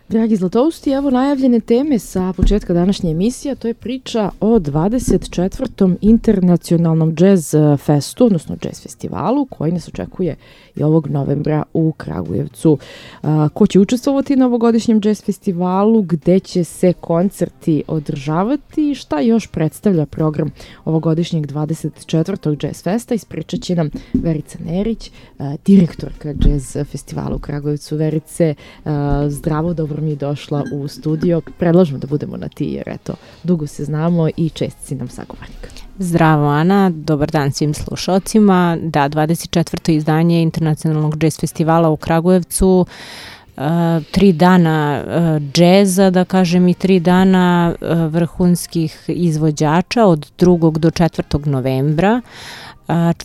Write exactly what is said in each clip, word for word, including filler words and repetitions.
Dragi Zlatousti, evo najavljene teme sa početka današnje emisije, to je priča o dvadeset četvrtom internacionalnom jazz festu, odnosno jazz festivalu, koji nas očekuje i ovog novembra u Kragujevcu. Ko će učestvovati na ovogodišnjem jazz festivalu, gde će se koncerti održavati i šta još predstavlja program ovogodišnjeg dvadeset četvrtog jazz festa, ispričat će nam Verica Nerić, direktorka jazz festivala u Kragujevcu. Verice, zdravo, dobro mi je došla u studio. Predlažemo da budemo na ti jer eto, dugo se znamo i čest si nam sagovornik. Zdravo Ana, dobar dan svim slušalcima. Da, dvadeset četvrto izdanje Internacionalnog jazz festivala u Kragujevcu, uh, tri dana uh, džeza, da kažem, i tri dana uh, vrhunskih izvođača od drugog do četvrtog novembra.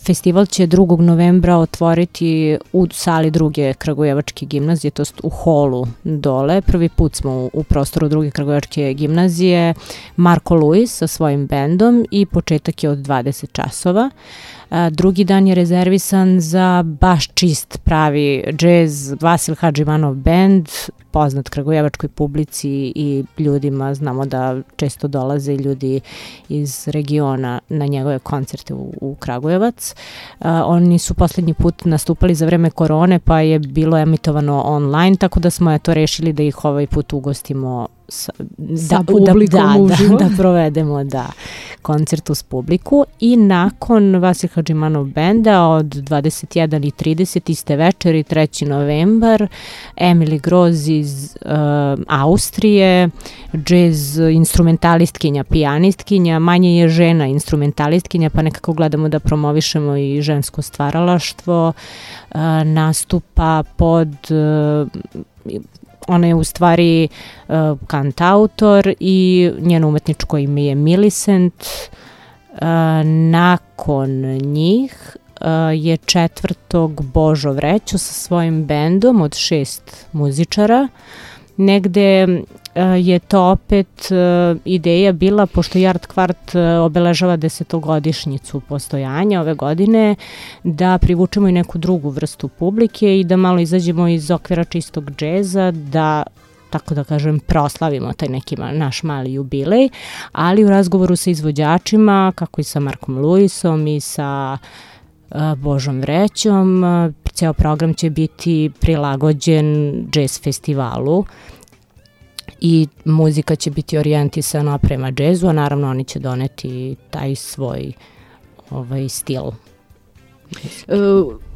Festival će drugog novembra otvoriti u sali druge Kragujevačke gimnazije, to jest u holu dole. Prvi put smo u, u prostoru druge Kragujevačke gimnazije, Marko Luis sa svojim bendom i početak je od dvadeset časova. Drugi dan je rezervisan za baš čist pravi džez, Vasil Hadžimanov bend, poznat kragujevačkoj publici i ljudima, znamo da često dolaze ljudi iz regiona na njegove koncerte u, u Kragujevac. Uh, oni su poslednji put nastupali za vreme korone, pa je bilo emitovano online, tako da smo eto rešili da ih ovaj put ugostimo sa, sa da, publikom da, uživo. Da, da provedemo da, koncert uz publiku. I nakon Vasil Hadžimanov benda od dvadeset jedan i trideset iste večeri, treći novembar, Emily Groz iz uh, Austrije, džez instrumentalistkinja, pijanistkinja, manje je žena instrumentalistkinja, pa nekako gledamo da promovišemo i žensko stvaralaštvo, uh, nastupa pod... Uh, Ona je u stvari uh, kantautor i njeno umetničko ime je Millicent. Uh, nakon njih uh, je četvrtog Božo Vrećo sa svojim bendom od šest muzičara. Negde uh, je to opet uh, ideja bila, pošto Yard Kvart uh, obeležava desetogodišnjicu postojanja ove godine, da privučemo i neku drugu vrstu publike i da malo izađemo iz okvira čistog džeza, da tako da kažem, proslavimo taj neki naš mali jubilej, ali u razgovoru sa izvođačima, kako i sa Markom Luisom i sa uh, Božom Vrećom, uh, ceo program će biti prilagođen jazz festivalu i muzika će biti orijentisana prema džezu, a naravno oni će doneti taj svoj ovaj stil. Uh,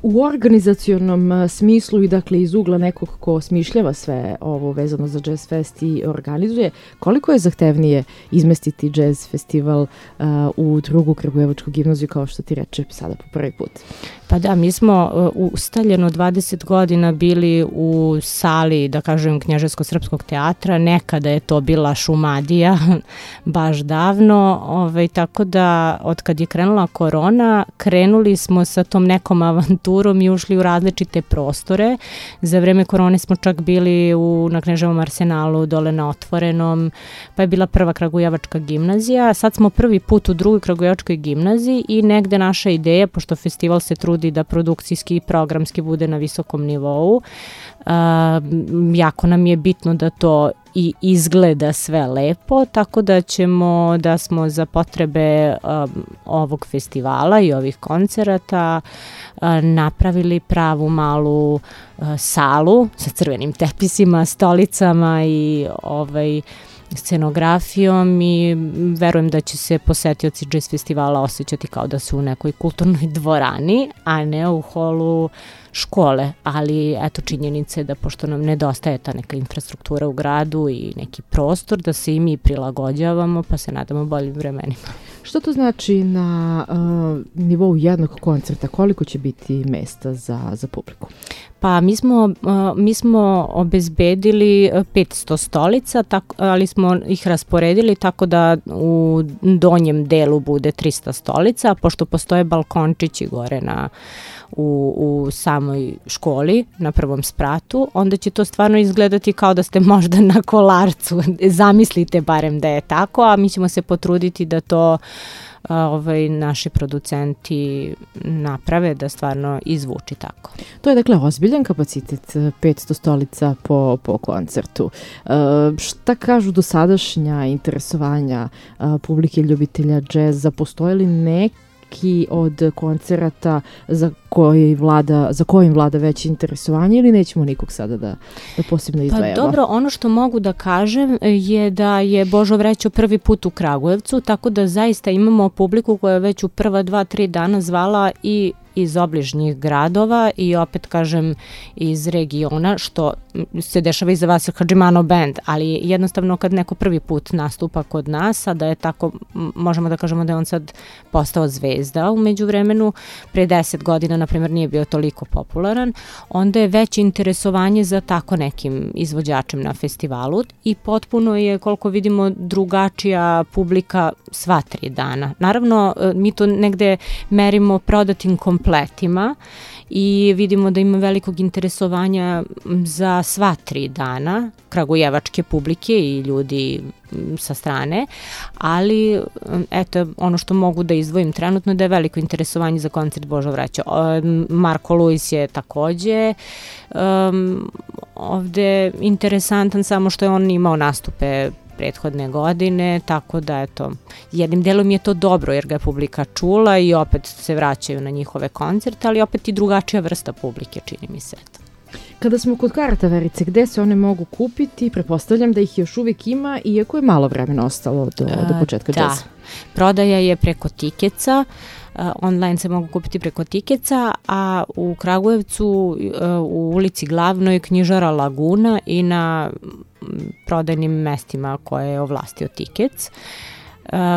u organizacionom smislu i dakle iz ugla nekog ko smišljava sve ovo vezano za Jazz Fest i organizuje, koliko je zahtevnije izmestiti Jazz Festival uh, u drugu Kragujevačku gimnaziju, kao što ti reče sada po prvi put? Pa da, mi smo uh, ustaljeno dvadeset godina bili u sali, da kažem, Knjaževsko-srpskog teatra, nekada je to bila Šumadija, baš davno, ovaj, tako da od kad je krenula korona, krenuli smo sa tom nekom avanturom i ušli u različite prostore. Za vreme korone smo čak bili u, na Kneževom arsenalu, dole na Otvorenom, pa je bila prva Kragujevačka gimnazija. Sad smo prvi put u drugoj Kragujevačkoj gimnaziji i negde naša ideja, pošto festival se trudi da produkcijski i programski bude na visokom nivou, uh, jako nam je bitno da to i izgleda sve lepo, tako da ćemo, da smo za potrebe um, ovog festivala i ovih koncerata uh, napravili pravu malu uh, salu sa crvenim tepisima, stolicama i ovaj scenografijom i verujem da će se posetioci jazz festivala osjećati kao da su u nekoj kulturnoj dvorani, a ne u holu škole, ali eto činjenice da pošto nam nedostaje ta neka infrastruktura u gradu i neki prostor, da se i mi prilagođavamo, pa se nadamo boljim vremenima. Što to znači na uh, nivou jednog koncerta? Koliko će biti mesta za, za publiku? Pa mi smo, uh, mi smo obezbedili petsto stolica, tako, ali smo ih rasporedili tako da u donjem delu bude trista stolica, pošto postoje balkončići gore na U, u samoj školi na prvom spratu, onda će to stvarno izgledati kao da ste možda na Kolarcu. Zamislite barem da je tako, a mi ćemo se potruditi da to ovaj, naši producenti naprave da stvarno izvuči tako. To je dakle ozbiljan kapacitet, petsto stolica po, po koncertu. E, šta kažu dosadašnja interesovanja a, publike ljubitelja džeza? Postoje li neki od koncerata za koji vlada, za kojim vlada veće interesovanje ili nećemo nikog sada da, da posebno izdvajamo? Pa dobro, ono što mogu da kažem je da je Božo Vrećo prvi put u Kragujevcu, tako da zaista imamo publiku koja je već u prva dva, tri dana zvala i iz obližnjih gradova i opet kažem iz regiona, što se dešava i za Vasil Hadžimanov band, ali jednostavno kad neko prvi put nastupa kod nas, a da je tako, možemo da kažemo da je on sad postao zvezda u međuvremenu, pre deset godina na primjer nije bio toliko popularan, onda je veće interesovanje za tako nekim izvođačem na festivalu i potpuno je, koliko vidimo, drugačija publika sva tri dana. Naravno, mi to negde merimo prodatim kompletima i vidimo da ima velikog interesovanja za sva tri dana kragujevačke publike i ljudi sa strane, ali eto, ono što mogu da izdvojim trenutno da je veliko interesovanje za koncert Božo Vrećo. Marko Luis je takođe um, ovde interesantan, samo što je on imao nastupe prethodne godine, tako da eto, jednim delom je to dobro jer ga je publika čula i opet se vraćaju na njihove koncerte, ali opet i drugačija vrsta publike, čini mi se. Kada smo kod karata, Verice, gde se one mogu kupiti? Pretpostavljam da ih još uvijek ima, iako je malo vremena ostalo do, do početka džeza. Da, prodaja je preko Tikeca, online se mogu kupiti preko Tikeca, a u Kragujevcu u ulici Glavnoj knjižara Laguna i na prodajnim mestima koje je ovlastio Tikec.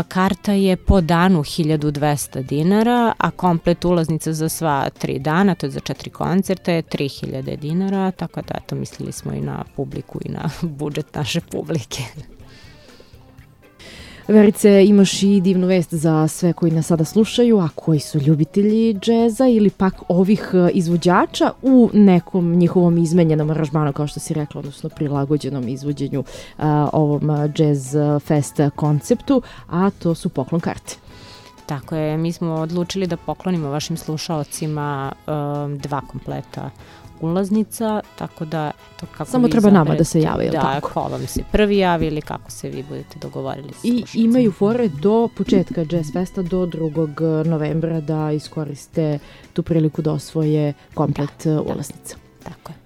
Karta je po danu hiljadu dvesta dinara, a komplet ulaznica za sva tri dana, to je za četiri koncerta, je tri hiljade dinara, tako da eto, mislili smo i na publiku i na budžet naše publike. Verice, imaš i divnu vest za sve koji nas sada slušaju, a koji su ljubitelji džeza ili pak ovih izvođača u nekom njihovom izmenjenom aranžmanu, kao što si rekla, odnosno prilagođenom izvođenju a, ovom Jazz Fest konceptu, a to su poklon karte. Tako je, mi smo odlučili da poklonimo vašim slušaocima um, dva kompleta ulaznica, tako da eto, kako samo vi treba izaberete, nama da se jave, da, tako? ko vam se prvi javi ili kako se vi budete dogovorili. I imaju fore do početka Jazz Festa, do drugog novembra da iskoriste tu priliku da osvoje komplet da, ulaznica. Tako je.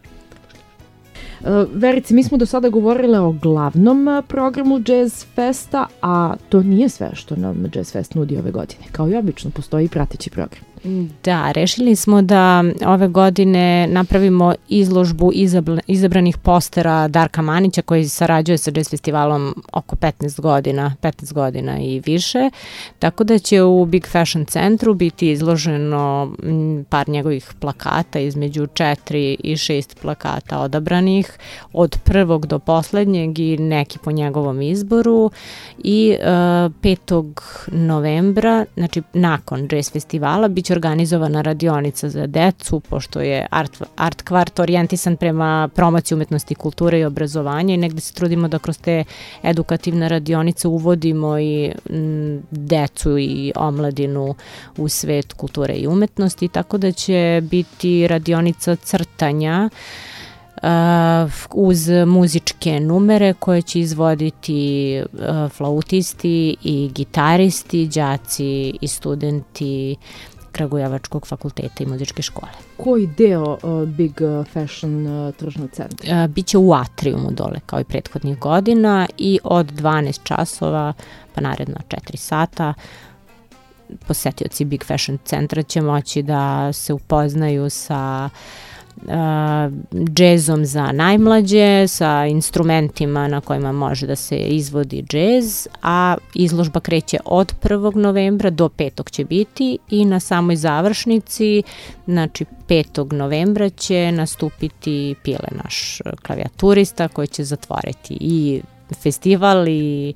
Verice, mi smo do sada govorile o glavnom programu Jazz Festa, a to nije sve što nam Jazz Fest nudi ove godine. Kao i obično, postoji prateći program. Da, rešili smo da ove godine napravimo izložbu izabranih postera Darka Manića koji sarađuje sa Jazz festivalom oko petnaest godina, petnaest godina i više, tako da će u Big Fashion centru biti izloženo par njegovih plakata, između četiri i šest plakata odabranih, od prvog do poslednjeg i neki po njegovom izboru i uh, petog novembra, znači nakon Jazz festivala, bit će organizovana radionica za decu, pošto je art, art kvart orijentisan prema promociji umetnosti, kulture i obrazovanja i negde se trudimo da kroz te edukativne radionice uvodimo i m, decu i omladinu u svet kulture i umetnosti, tako da će biti radionica crtanja Uh, uz muzičke numere koje će izvoditi uh, flautisti i gitaristi, đaci i studenti Kragujevačkog fakulteta i muzičke škole. Koji deo uh, Big Fashion uh, tržnog centra? Uh, biće u atriumu dole kao i prethodnih godina i od dvanaest časova pa naredno četiri sata posetioci Big Fashion centra će moći da se upoznaju sa Uh, džezom za najmlađe, sa instrumentima na kojima može da se izvodi džez, a izložba kreće od prvog novembra do petog će biti i na samoj završnici, znači petog novembra će nastupiti Pile, naš klavijaturista, koji će zatvoriti i festival i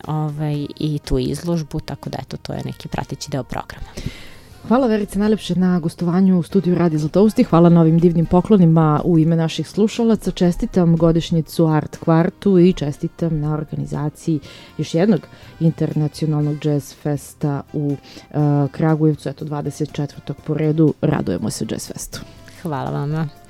ovaj, i tu izložbu, tako da eto, to je neki prateći deo programa. Hvala Verice najlepše na gostovanju u studiju Radio Zlatousti, hvala na ovim divnim poklonima u ime naših slušalaca, čestitam godišnjicu Art Kvartu i čestitam na organizaciji još jednog internacionalnog jazz festa u uh, Kragujevcu, eto dvadeset četvrtog po redu, radujemo se jazz festu. Hvala vama.